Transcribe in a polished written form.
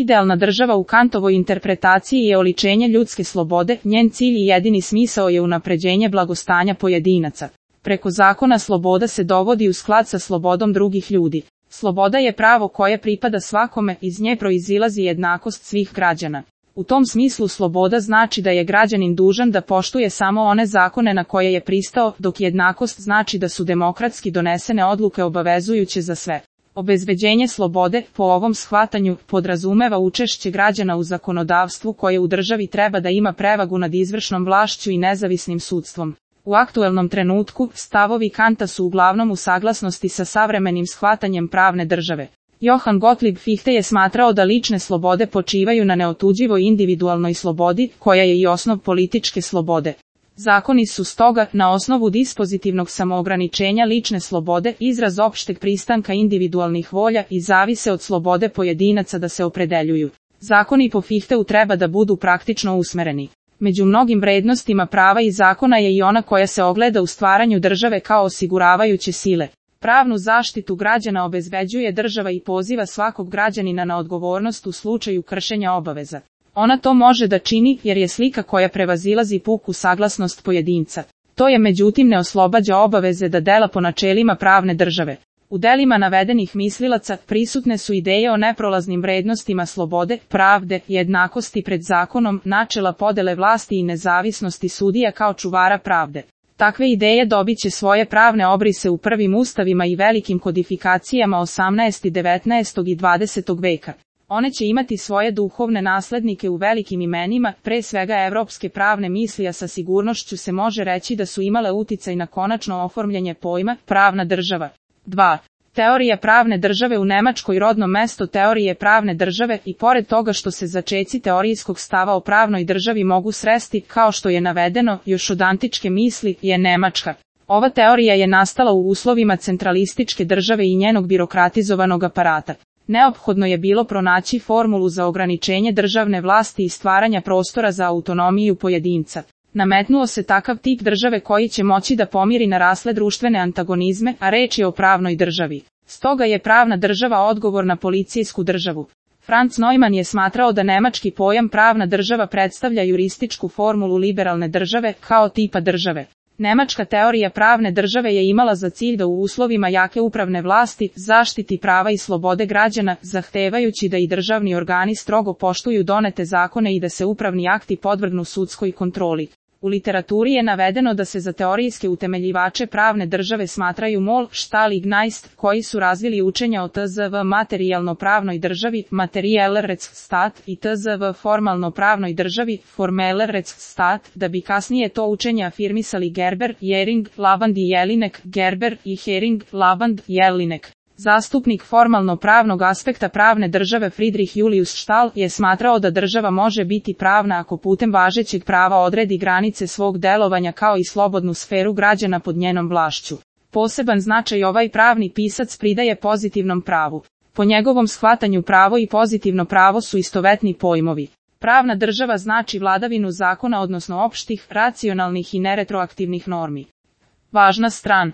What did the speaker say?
Idealna država u Kantovoj interpretaciji je oličenje ljudske slobode, njen cilj i jedini smisao je unapređenje blagostanja pojedinaca. Preko zakona sloboda se dovodi u sklad sa slobodom drugih ljudi. Sloboda je pravo koje pripada svakome, iz nje proizilazi jednakost svih građana. U tom smislu sloboda znači da je građanin dužan da poštuje samo one zakone na koje je pristao, dok jednakost znači da su demokratski donesene odluke obavezujuće za sve. Obezbeđenje slobode, po ovom shvatanju, podrazumeva učešće građana u zakonodavstvu koje u državi treba da ima prevagu nad izvršnom vlašću i nezavisnim sudstvom. U aktuelnom trenutku, stavovi Kanta su uglavnom u saglasnosti sa savremenim shvatanjem pravne države. Johann Gottlieb Fichte je smatrao da lične slobode počivaju na neotuđivoj individualnoj slobodi, koja je i osnov političke slobode. Zakoni su stoga, na osnovu dispozitivnog samoograničenja lične slobode, izraz opšteg pristanka individualnih volja i zavise od slobode pojedinaca da se opredeljuju. Zakoni po Fichteu treba da budu praktično usmereni. Među mnogim vrednostima prava i zakona je i ona koja se ogleda u stvaranju države kao osiguravajuće sile. Pravnu zaštitu građana obezbeđuje država i poziva svakog građanina na odgovornost u slučaju kršenja obaveza. Ona to može da čini jer je slika koja prevazilazi puku saglasnost pojedinca. To je međutim ne oslobađa obaveze da dela po načelima pravne države. U delima navedenih mislilaca prisutne su ideje o neprolaznim vrednostima slobode, pravde, jednakosti pred zakonom, načela podele vlasti i nezavisnosti sudija kao čuvara pravde. Takve ideje dobit će svoje pravne obrise u prvim ustavima i velikim kodifikacijama 18., 19. i 20. veka. One će imati svoje duhovne naslednike u velikim imenima, pre svega evropske pravne misli, a sa sigurnošću se može reći da su imale uticaj na konačno oformljanje pojma pravna država. 2. Teorija pravne države u Nemačkoj. Rodno mesto teorije pravne države, i pored toga što se začeci teorijskog stava o pravnoj državi mogu sresti, kao što je navedeno, još od antičke misli, je Nemačka. Ova teorija je nastala u uslovima centralističke države i njenog birokratizovanog aparata. Neophodno je bilo pronaći formulu za ograničenje državne vlasti i stvaranja prostora za autonomiju pojedinca. Nametnuo se takav tip države koji će moći da pomiri narasle društvene antagonizme, a reč je o pravnoj državi. Stoga je pravna država odgovor na policijsku državu. Franz Neumann je smatrao da nemački pojam pravna država predstavlja jurističku formulu liberalne države, kao tipa države. Nemačka teorija pravne države je imala za cilj da u uslovima jake upravne vlasti zaštiti prava i slobode građana, zahtevajući da i državni organi strogo poštuju donete zakone i da se upravni akti podvrgnu sudskoj kontroli. U literaturi je navedeno da se za teorijske utemeljivače pravne države smatraju Moll, Stahl i Gneist, koji su razvili učenja o tzv. materijalno-pravnoj državi, Materieller Rechtsstaat, i tzv. formalno-pravnoj državi, Formeller Rechtsstaat, da bi kasnije to učenje afirmisali Gerber, Jering, Lavand i Jelinek, Gerber i Hering, Lavand, Jelinek. Zastupnik formalno-pravnog aspekta pravne države Friedrich Julius Stahl je smatrao da država može biti pravna ako putem važećeg prava odredi granice svog delovanja kao i slobodnu sferu građana pod njenom vlašću. Poseban značaj ovaj pravni pisac pridaje pozitivnom pravu. Po njegovom shvatanju pravo i pozitivno pravo su istovetni pojmovi. Pravna država znači vladavinu zakona, odnosno opštih, racionalnih i neretroaktivnih normi. Važna stran.